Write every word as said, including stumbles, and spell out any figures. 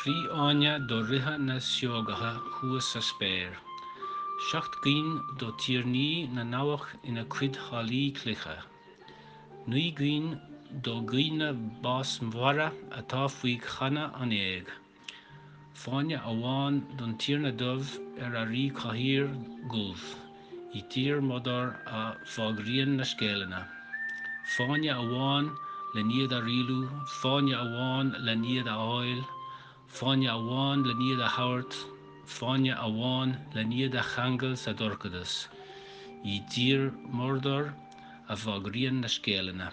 Trí fháinne do ríthe na siógacha thuas sa spéir, seacht gcinn do tiarnaí na ndabhach ina gcuid hallaí cloiche, naoi gcinn do dhaoine básmhara atá faoi channa an éag, fáinne amháin don Tiarna Dubh ar a ríchathaoir dhubh i dtír Mordor a bhfógraíonn na scéalanna, fáinne amháin len iad a rialú, fáinne amháin len iad a fháil, fáinne amháin len iad a thabhairt, fáinne amháin len iad a cheangal sa dorchadas, i dtír Mordor a bhfógraíonn na scéalanna.